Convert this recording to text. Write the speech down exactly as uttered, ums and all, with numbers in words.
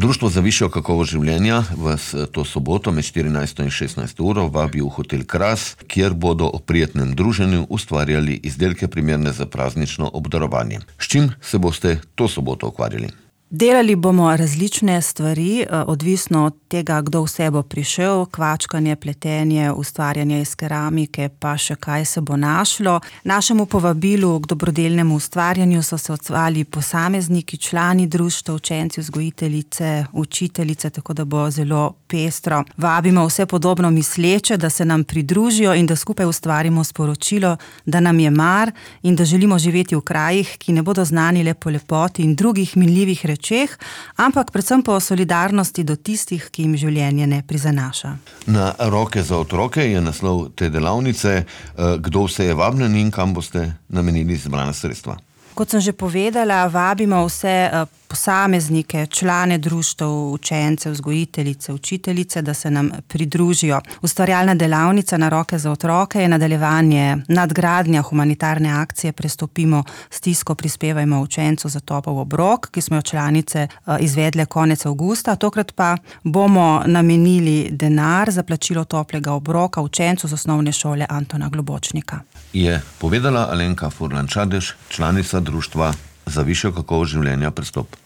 Društvo za višjo kakovost življenja vas to soboto med štirinajsto in šestnajsto uro vabi v hotel Kras, kjer bodo o prijetnem druženju ustvarjali izdelke primerne za praznično obdarovanje. S čim se boste to soboto ukvarjali? Delali bomo različne stvari, odvisno od tega, kdo vse bo prišel, kvačkanje, pletenje, ustvarjanje iz keramike, pa še kaj se bo našlo. Našemu povabilu k dobrodelnemu ustvarjanju so se odzvali posamezniki, člani društva, učenci, vzgojiteljice, učiteljice, tako da bo zelo pestro. Vabimo vse podobno misleče, da se nam pridružijo in da skupaj ustvarimo sporočilo, da nam je mar in da želimo živeti v krajih, ki ne bodo znani le po lepoti in drugih minljivih rečeh, Čeh, ampak predvsem po solidarnosti do tistih, ki jim življenje ne prizanaša. Na Roke za otroke je naslov te delavnice. Kdo vse je vabljen in kam boste namenili zbrana sredstva? Kot sem že povedala, vabimo vse posameznike, člane društev, učence, vzgojiteljice, učiteljice, da se nam pridružijo. Ustvarjalna delavnica na Roke za otroke je nadaljevanje nadgradnja humanitarne akcije Prestopimo stisko, prispevajmo učencu za topel obrok, ki smo jo članice izvedle konec avgusta. Tokrat pa bomo namenili denar za plačilo toplega obroka učencu z osnovne šole Antona Globočnika. Je povedala Alenka Furlan Čadež, članica Društva za višjo kakovost življenja Prestop.